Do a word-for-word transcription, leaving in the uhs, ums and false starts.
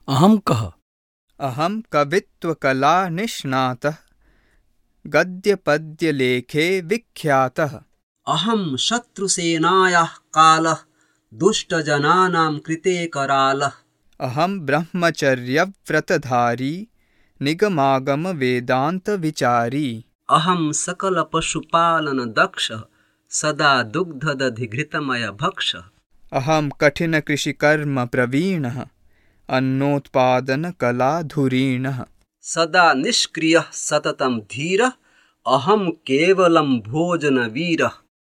अहं कः? अहं कवित्वकलानिष्णातः, गद्यपद्यलेखे विख्यातः। अहं शत्रुसेनायाः कालः, दुष्टजनानां कृते करालः। अहं ब्रह्मचर्यव्रतधारी, निगमागमवेदान्तविचारी। अहं सकलपशुपालनदक्षः, सदा दुग्धदधिघृतमयभक्षः। अहं कठिनकृषिकर्मप्रवीणः, अन्नोत्पादनकलाधुरीणः। सदा निष्क्रियः सततं धीरः, अहं केवलं भोजनवीरः।